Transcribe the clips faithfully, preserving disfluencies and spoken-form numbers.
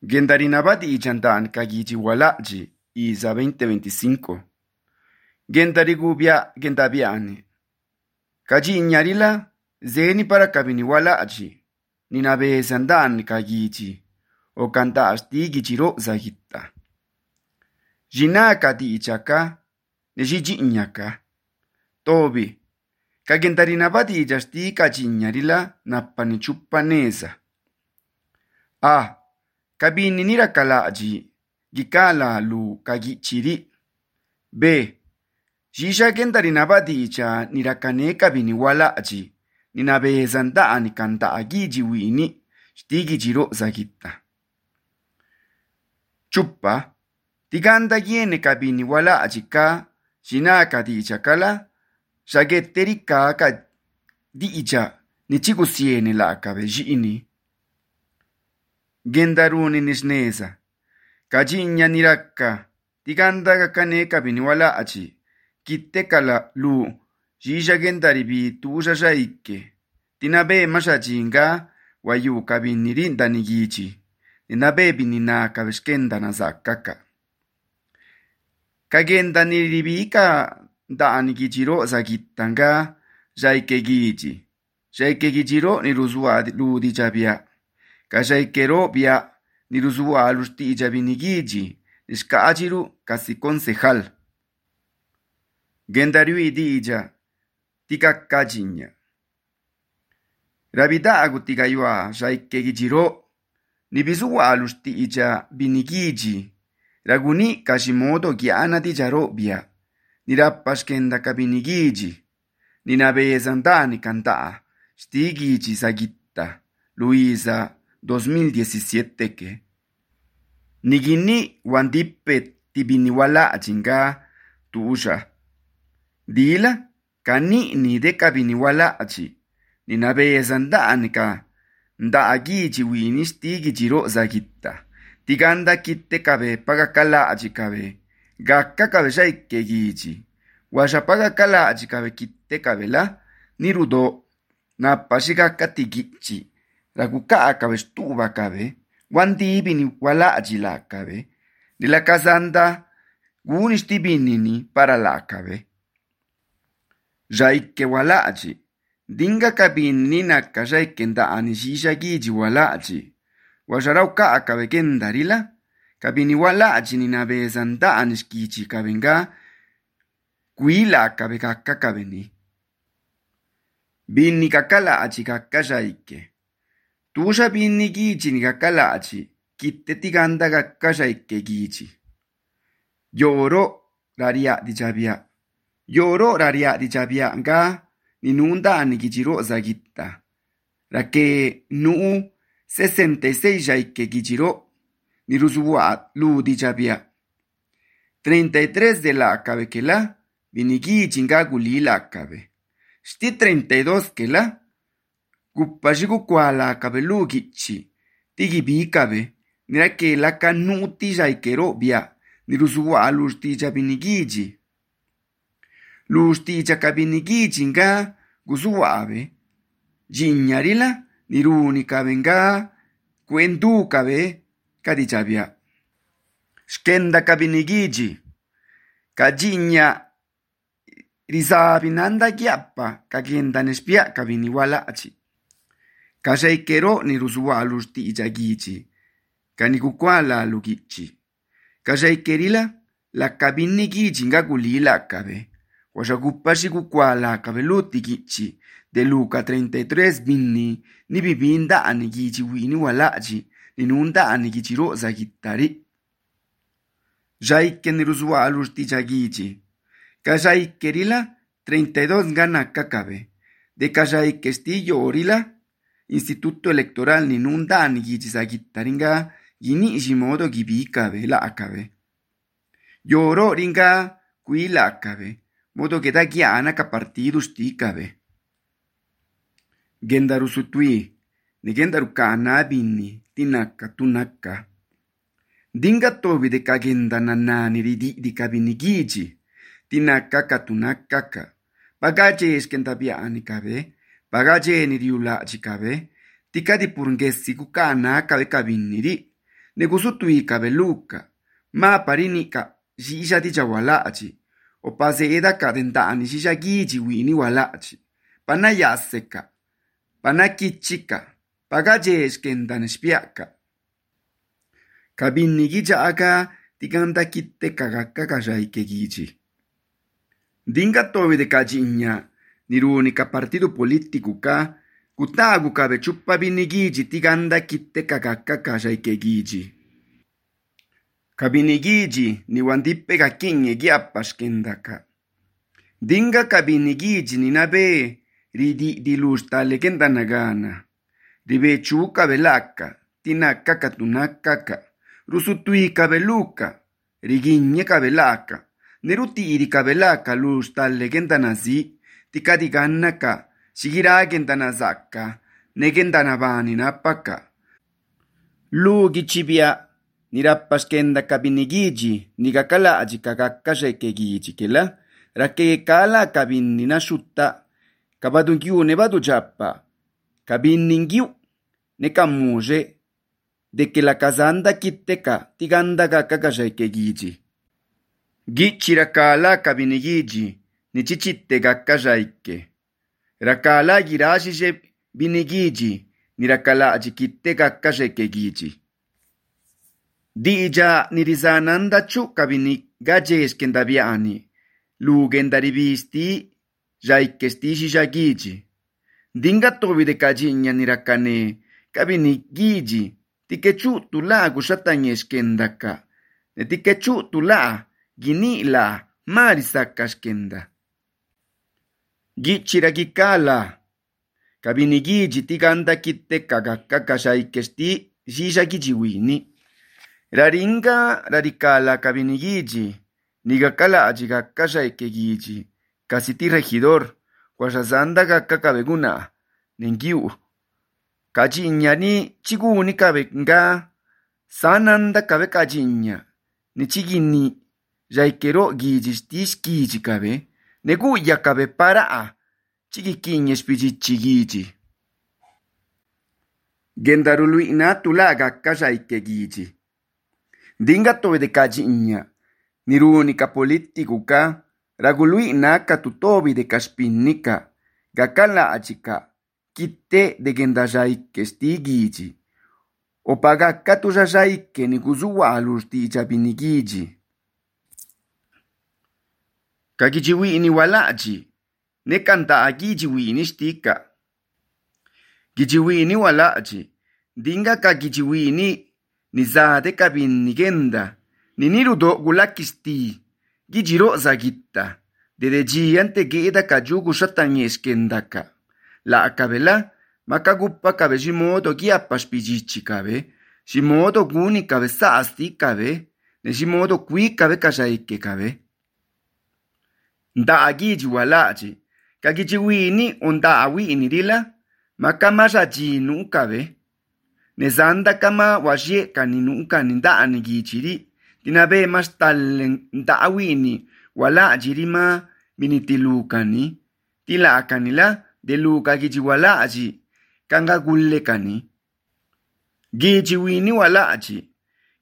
Gendarinabati ichantan kagichi walachi Isa veinte veinticinco. Gendarigubia gendabiani. Kaji iñarila zeni para kabini walachi. Ninabe sandan kagichi. O kanta astigi chiro zahita. Jinaka di ichaka. Nejiji iñaka. Tobi. Kagendarinabati ijasti kaji iñarila napani chupaneza. A. Kabini nira kalaji, gikala lu kagichiri. B. Jisha gendarinabati icha nirakane kabini walaji, ninabe zandani kanta agiji wini, stigi jiro zagita. Chupa. Tiganda yene kabini walaji ka, jinaka di icha kala, shageteri ka ka di icha, nichigusiene la kabe jini. Gendaruni nisneza. Kajinya niraka. Tiganda kakane kabini wala achi. Kitte kala lu. Jisha gendaribi tuja shaike. Tinabe mashajinga. Wayu kabini rinda nigichi. Tinabe binina kabishkenda na zakaka. Kagenda niribika da anigijiro zakitanga. Jaike gichi. Jaike gijiro niruzua ludi jabia. Kashaikero bia niruzua alusti ijabinigiji, nishkaajiru kasi concejal. Gendariu idija, tika kajinya. Rabida agutigayua shaikegijiro, nibizua alusti ija binigiji, raguni kashimodo giana dijaro bia, nirapashkenda kabinigiji, ninabe zandani kantaa, stigiji sagita, Luisa, dos mil diecisiete que nigini wandipe tibiniwala achinga tuusha dila kani ni de kabiniwala achi ninabe zandanika nda agichi wini stigi jiro zagita tiganda kitte kabe paga kala achi kabe gakka kabe shaike gichi washa paga kala achi kabe kitte kabela nirudo na pashiga katigichi Raguka akabe stuba kabe, wandi bini wala ajila kabe, nila kazanda gunisti binini para la kabe. Jaike wala aji, dinga kabini naka jaike nda anishisha giji wala aji, washarauka akabe gendarila, kabini wala aji ninabe zanda anishkichi kabenga, kuila akabe kaka kabeni. Bini kakala aji kaka jaike. Tusha bini gichi ni kakalachi, kitte tiganda kakashaike gichi. Yoro raria di jabia. Yoro raria di jabia nga ninunda anigichiro zagita. Rake nuu sesenta y seis jaike gichiro niruzua lu di jabia. Treinta y tres de la acabe que la vinigi nga guli la acabe. Sti treinta y dos que la Kupashiku kwala kabelu gichi. Tigi bi kabe. Nira ke la kanuti jaikero bia. Niruzuwa lusti jabinigiji. Lusti jakabinigiji nga guzuwa abe. Jinyarila niruni kabe nga kwendu kabe kadichabia. Shkenda kabinigiji. Kajinya rizabinanda giappa kagenda nespia kabiniwala achi. Kashaikero niruzua alusti ijagichi. Kanikukwala lugichi. Kashaikerila la kabini gichi nga gulila kabe. Washakupashi kukwala kabe luti gichi. De Luca treinta y tres bini ni bibinda anigichi wini walachi. Ninunda anigichi roza gitari. Jaike niruzua alusti ijagichi. Kashaikerila treinta y dos gana kakabe. De kashaikestillo orila. Instituto Electoral ninunda anigizagitaringa gini ishimodo gibikabe la akabe. Yoro ringa kui la akabe. Modo que da giana ka partido stikabe. Gendaru sutui. Ni gendaru kana bini. Tinaka tunaka. Dinga tobi de kagenda nanani ridi di kabinigiji. Tinaka katunaka. Bagaje eskentabia anikabe. Bagaje ni riula chikabe, tika di purngesi kukana kabe kabiniri, negusutui kabeluka, ma parinika shisha ticha walachi, o paseeda ka dentani shisha gichi wini walachi, pana yaseka, pana kichika, pagajeshkendan spiaka. Kabini gicha aka tikanta kitte kagaka kajaike gichi. Dinga tobi de kajinya, nirunika partido politiku ka, kutagu kabe chupa binigiji tiganda kitte kagaka kajaike gichi. Kabinigiji ni wandipe kakinge giapashkendaka. Dinga kabinigiji ni nabe ridi dilusta legenda nagana. Ribe chuka belaka, tinaka katunakaka. Rusutui kabeluka, riginye kabelaka. Neruti iri kabelaka lusta legenda nazi, tikadiganaka, shigiragenda nazaka, negenda nabani napaka. Lugi chibia. Nirapashkenda kabinigiji, nigakala ajikakakashekegiji kela, rakekala kabini nashuta, kabadungiu nebadu japa, kabiningiu, nekamuje, de que la kazanda kiteka, tiganda kakakashekegiji. Gichirakala kabinigiji, nichichite gakajaike. Rakala girajije binigiji, nirakala ajikite kakashekegiji. Dija nirizananda chu kabini gajes kendabiani, lugenda rivisti, jaikesti shishagiji. Dinga tobi de kajinya nirakane, kabini giji, tikechu tula gushatanyesh kendaka, ne tikechu tula, gini la, marisakas kenda. Gichiragikala, kabini giji tiganda kitte kagaka jaikesti shishagiji wini. Raringa radicala kabinigiji, nigakala ajigakasha ekegiji, kasiti regidor, kwashazanda gakakabeguna, nengiu. Kajinya ni chiguni kabenga, sananda kabe kajinya, ni chigini, jaikero gijistish giji kabe, neguya kabe para, chigikinya spijichigiji. Gendaruluina tulaga kasha ekegiji. Dinga tobe de kajinya, nirunika politiku ka, ragului naka tutobi de kaspinika, gakala achika, kite de gendajaike stigiji, opagaka tujajaike nikuzuwa alusti jabinigiji. Kagijiwi ni walaji, nekanta agijiwi ni stika. Gijiwi ni walaji, dinga kagijiwi ni nizade kabinigenda, ninirudo gulakisti, gijiro zagitta, dedejiante geda kajugu shatanyeskendaka. La akabela, makaguppa kabe shimodo giapas pijichi kabe, shimodo guni kabe saasti kabe, ne shimodo kui kabe kashaike kabe. Nda agiji walaji, kagijiwini onda awini rila, makamashaji nukabe, nezanda kama wajie kaninuka ninda gichiri, tinabe mas talen ndawini wala jirima minitilukani, tila kanila deluka gichi wala aji, kanga gulle kani. Gichi wini wala aji,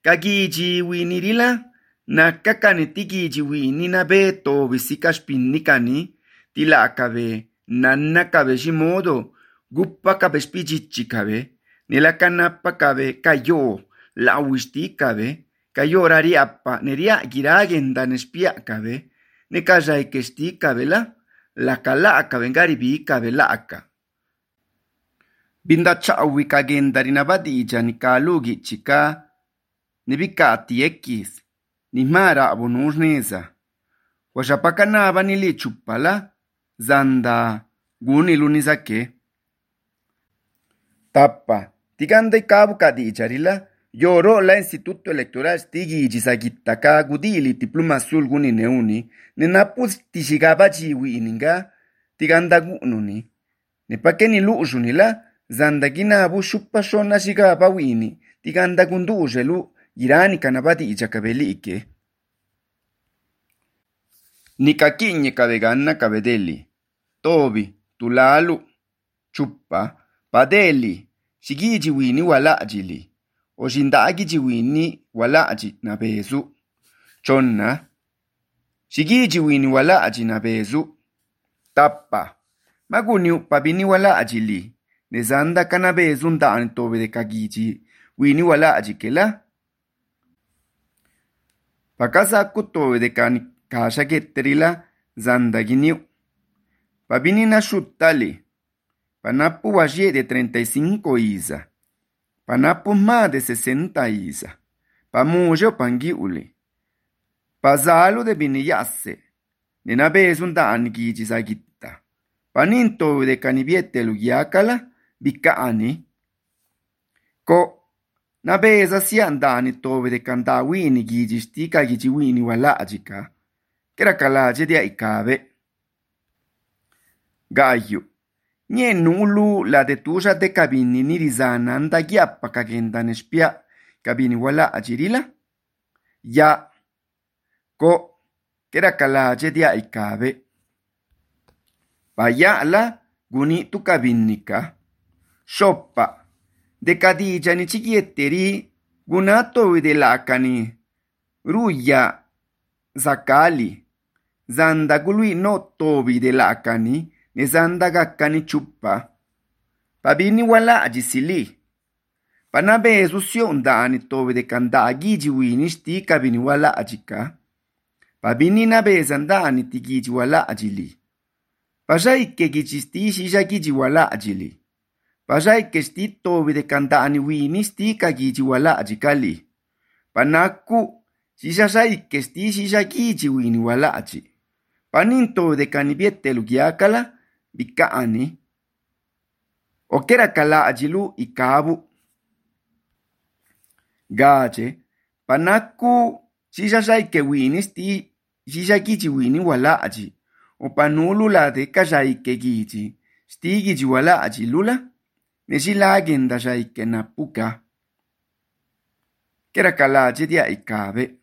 kagichi wini rila, na kakaneti gichi wini na beto visikas pinnikani, tila kabe, nanna kabe shimodo, guppa kabe spichichi kabe, Nilakanapa kabe kayo la wisti kabe kayo rariapa neria giragenda nespia kabe ne kajai kesti kabela la kala kabe ngaribi kabe la aka binda chawi kagenda rinabadi jani kalugi chika nibikati ekis ni mara abonurneza washapakana banili chupala zanda guni lunizake tapa Tiganda kabu kadi charila, yoro la Instituto Electoral stigi jisagitaka gudili diploma azul guni neuni, nenapus tishigaba jiwi ininga, tiganda gununi. Nepakeni luujunila, zandagina abu shupashona shigaba wini, tiganda gundujelu, irani kanabati ijakabeli ike. Nikakinye kabegana kabedeli, tobi, tulalu, chupa, padeli, Shigiji wini wala ajili. oshinda'a kichiwini wala'chi na bezu. Chonna. Shikichiwini wala'chi na bezu. Tappa. Maguni pabini wala'chi li. Nezanda kana bezu nda'ani tobe de kakichi. Wini wala'chi kela. Pakasa kutobe de kani kasha ketterila zanda giniu. Pabini na shutali. Panapu waje de treinta y cinco isa. Panapu más de sesenta isa. Pamujo pangiuli. Pazalo de biniyase. Nena bezu nda'ani kichi sagitta. Paninto de canibiete lugiakala bikaani. Ko na beza si andani tobe de kanda wini giji stika giji wini walajika. Kera kalaje dia ikabe. Gayu. Nye nulu la de tuja de kabini nirizana anda giappa kagenda nespia kabini wala ajirila. Ya. Ko. Kera kalaje dia ikabe. Vaya la guni tu kabinika. Shoppa. De kadija ni chikietteri gunato de lakani. Ruya. Zakali. Zanda gului no tobi de lakani. Ne zanda gakkani chuppa. Pabini wala ajisili. Panabezu sio ndani tobi de kanda giji wini sti kabini wala ajika. Pabini nabeza ndani tigiji wala ajili. Pajaike gichisti shisha giji wala ajili. Pajaike sti tobi de kandani wini sti kagiji wala ajikali. Panaku shisha shaike sti shisha giji wini wala aji. Paninto de kanibiete lugiakala bikaani. Okera kala ajilu ikabu. Gaje. Panaku shisha shaike wini sti shisha giji wini wala aji. O panulu la de kajaike giji. Sti giji wala aji lula. Neshila agenda jaike na puka. Kera kalaje dia ikabe.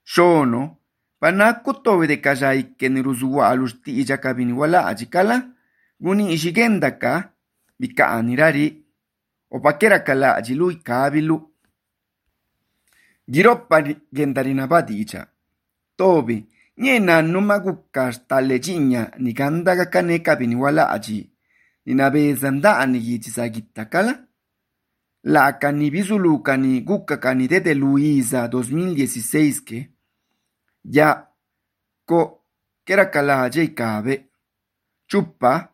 Shono. Panaku tobe de kajaike niruzuwa alusti ija kabini wala aji kala. Guni ishigenda ka. Bika anirari. O pakera kalaje lu ikabilu. Giroppa gendarina badija. Tobe. Nyena numa gukas talejinya ni ganda kakane kabini wala aji. Ni nabeza ndani gichisagitta kala. La kani bizulu kani gukka kani dede Luisa dos mil dieciséis que. Ya. Ko. Kera kala aje ikabe. Chupa.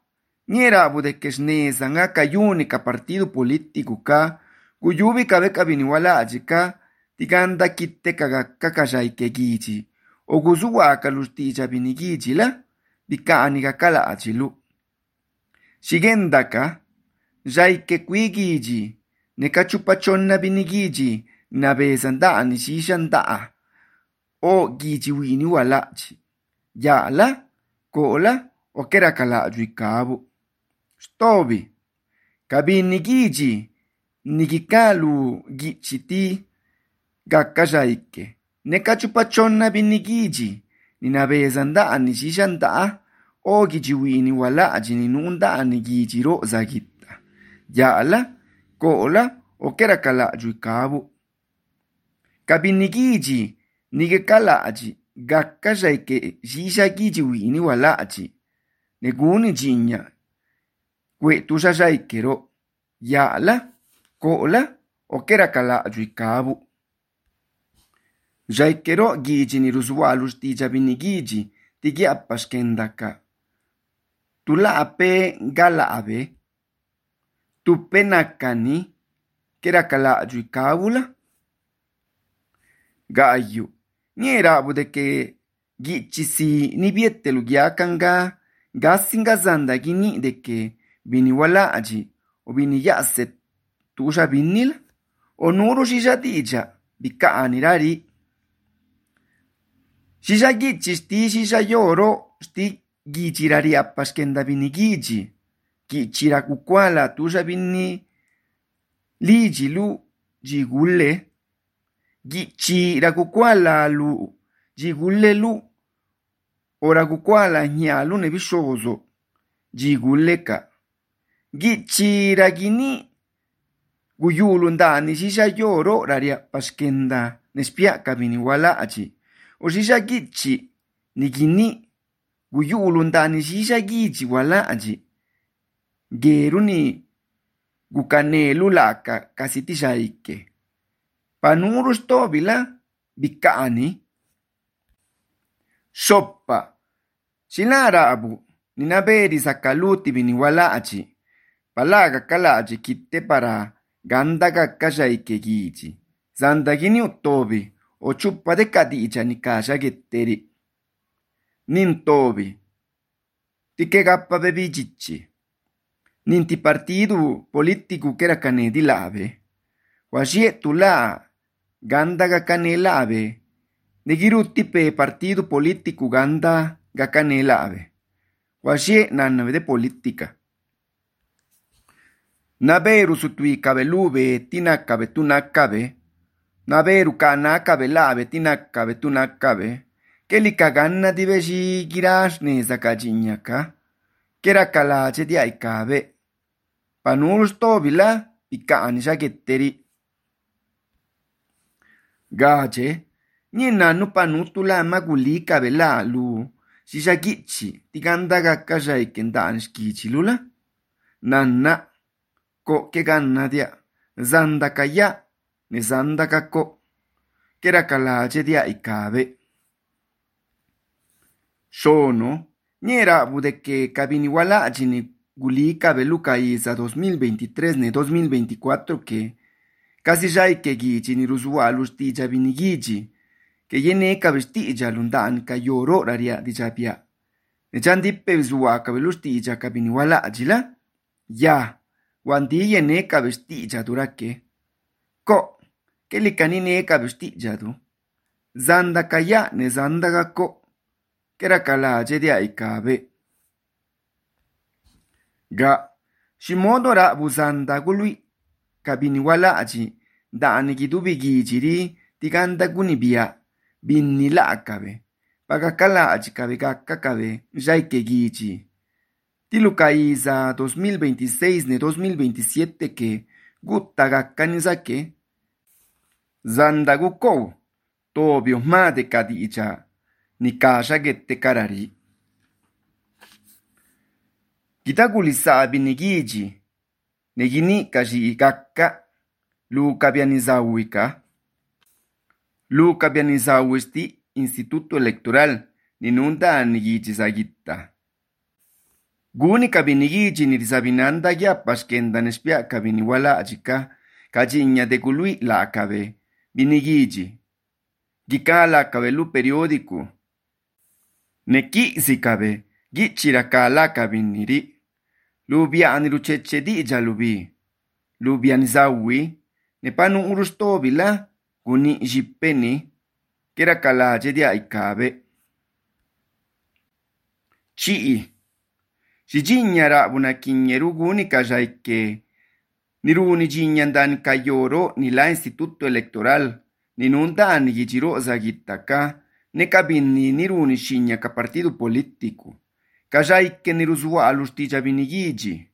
Niera bude kesneza nga kayunika partido político ka. Guyubi kabe kabini wala aji ka. Tiganda kitte kagakka kajaike gichi. Oguzuwa kalustija binigiji la, bikaani kakala achilu. Shigendaka, jaike kuigiji, nekachupachonna binigiji, nabezandani shishandaa, o giji wini walachi. Yala, kola, o kerakala ajuikabu. Stobi, kabinigiji, nikikalu gichiti, gakkajaike. Nekachupachonna binigiji. Ninabeza ndani shishandaa. O gijiwini wala ajini nundani gijiro zagitta. Yala, kola, o kerakala ajuikabu. Kabinigiji, nigekala aji. Gakkajaike shisha gijiwini wala aji. Neguni jinya. Kwe tushajaikero. Yala, kola, o kerakala ajuikabu. Jaikero giji ni ruzualus tija binigiji tigi apashkendaka. Tula ape gala abe. Tupe nakani kerakala ajuikabula. Gayu. Niera abu de que gichi si ni biete lugiakanga gasinga zanda gini de que bini wala aji o bini yaset tusha binil o nuru shisha tija bika anirari. Shisha gichi sti shisha yoro sti gichirari apashkenda bini giji. Gichira kukwala tusha bini liji lu jigulle. Gichira kukwala lu jigulle lu. Ora kukwala nyalu ne bishozo jigulle ka. Gichira gini guyulu ndani shisha yoro raria pashkenda nespia kabini wala achi o shisha gichi nikini guyulu ndani shisha gichi wala achi geru ni gukanelu laka kasitisha ike panurus tobila bikaani sopa silara abu ninaberi sakaluti bini wala achi palaga kala achi kitte para ganda kakkasha ike gichi zandagini utobi o chuppa de kadicha ni kasha getteri nin tobi tike gappa bebi chichi ninti partidu politiku kera kane di lave wasie tula ganda gakane lave negirutti pe partidu politiku ganda gakane lave wasie nanave de politika naberu sutui kabelube tinakabe tunakabe naberu kanakabe lave tinakabe tunakabe kelika ganna dibeshi girashne zakajinyaka kera kalache di aikabe panurus tobila pikaani shagetteri gache ninanu panutula magulika bela lu shishagichi tiganda gakkasha ikendan shkichilula nanna ko ke ganna dia zandakaya ne zandakako kera kalache dia ikabe sono niera budeke kabini wala achini gulika beluka isa dos mil veintitrés ne dos mil veinticuatro que casi ya que gichi ni rusua lustija binigiji que yene kabestija lundan ka yoro raria dijapia ne chandippe visuwa kabelustija kabini wala ajila ya wandi yene kabestija durake ko que likanine kabestija du zanda kaya ne zanda gako kera kalaje dia ikabe ga shimodo ra buzanda gului kabini wala aji dani gidubi gijiri tiganda gunibia binni la akabe pagakala aji kabe kakakabe jaike giji tilukaiza dos mil veintiséis ne dos mil veintisiete que gutta gakkanizake zanda gukou tobio ma de kadicha ni kasha gette karari Kitagulisa binigiji negini kaji gakka luka bianizawika luka bianizawisti instituto electoral ninunda nigiji zagitta guni kabinigiji nirizabinanda ya pashkenda nespia kabini wala ajika kajinya de gului la akabe binigiji gikala kabelu periódico neki sikabe gichira kala kabiniri lubiani lucheche di jalubi lubiani zawi ne panu urustobila guni jippeni kera kalaje dia ikabe chii shijinyara buna kinyeru guni kajaike niruni jinyandan kayoro ni la instituto electoral ninunda ni gijiro zagitaka ne kabini niruni shinya ka partido politiku kajaike niruzua alustija binigiji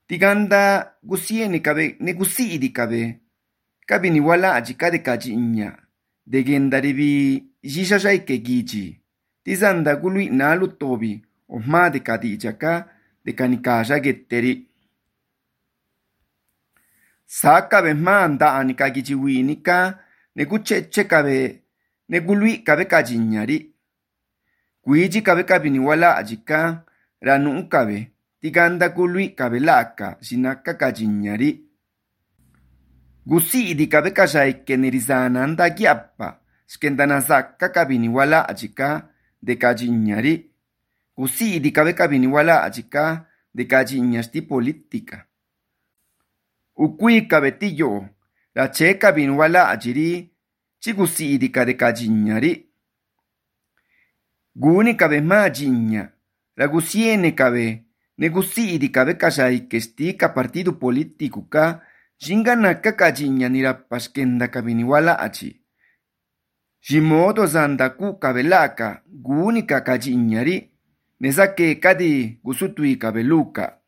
tiganda gusieni kabe ne gusidi kabe kabini wala ajikade kajinya degendaribi jishajaike giji tizanda gului nalu tobi ohma de kadijaka de kanikasha getteri sakabe manda anika gijiwinika ne gucheche kabe ne gului kabe kajinyari Guiji kabe kabini wala ajika ranu kabe tiganda gului kabe laka sinaka kajinyari gusidi kabe kajaike nerizana anda giappa skendana zakka kabini wala ajika de kajinyari gusidi kabe kabini wala ajika de kajinyasti politika ukui kabe tiyo la che kabini wala ajiri chigusidi kabe kajinyari Guni kabe majinya, la gusiene kabe, negusidi kabe kajaike stika partido politiku ka, jinganaka kajinya nira paskenda kabini wala achi. Jimodo zandaku kabe laka, guni kakajinyari, nezake kadi gusutui kabe luka.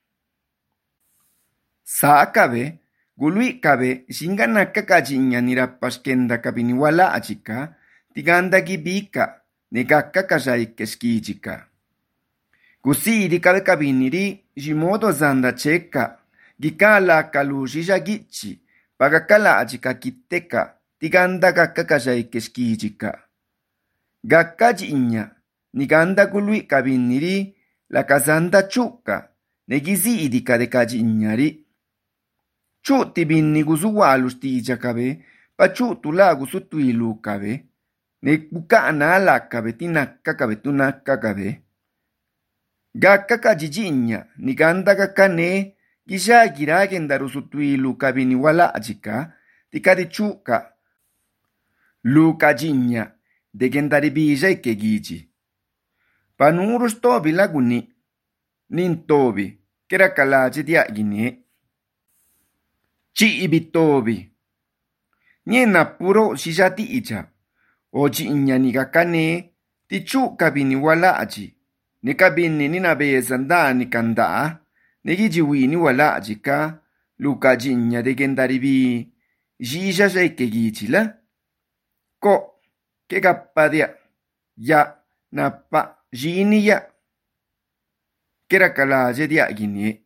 Sa kabe, Gului kabe singa nakakajinya nirapaskenda kabini wala achika, tiganda gibika, negaka kajaike skijika. Kusiri kabe kabiniri, jimodo zanda cheka, gikala kalushija gichi, pagakala achika kiteka, tiganda gaka kajaike skijika. Gakajinya, niganda gului kabiniri, la kazanda chuka, negizi idika de kajinyari. Chu tibinni gusuwalus tija kabe, pa chu tula gusutuilu kabe, ne bukana ala kabe tinaka kabe tunaka kabe. Gaka kajijinya, ni ganda gaka ne, gisha gira gendaru sutuilu kabe ni wala ajika, tikadi chuka. Lu kajinya, de gendari bija ike giji. Panurus tobi laguni, nin tobi, kera kalaje dia gine. Chi ibitobi. Niena puro shijati icha. Oji inyani gakane. Tichu kabini wala aji. Ne kabini nina bezanda ni kanda. Negiji ni wala aji ka. Luka jinya de gendaribi. Jija shake gichila. Ko. Ke gapadia. Ya. Napa. Jini ya. Kera kala je dia gini.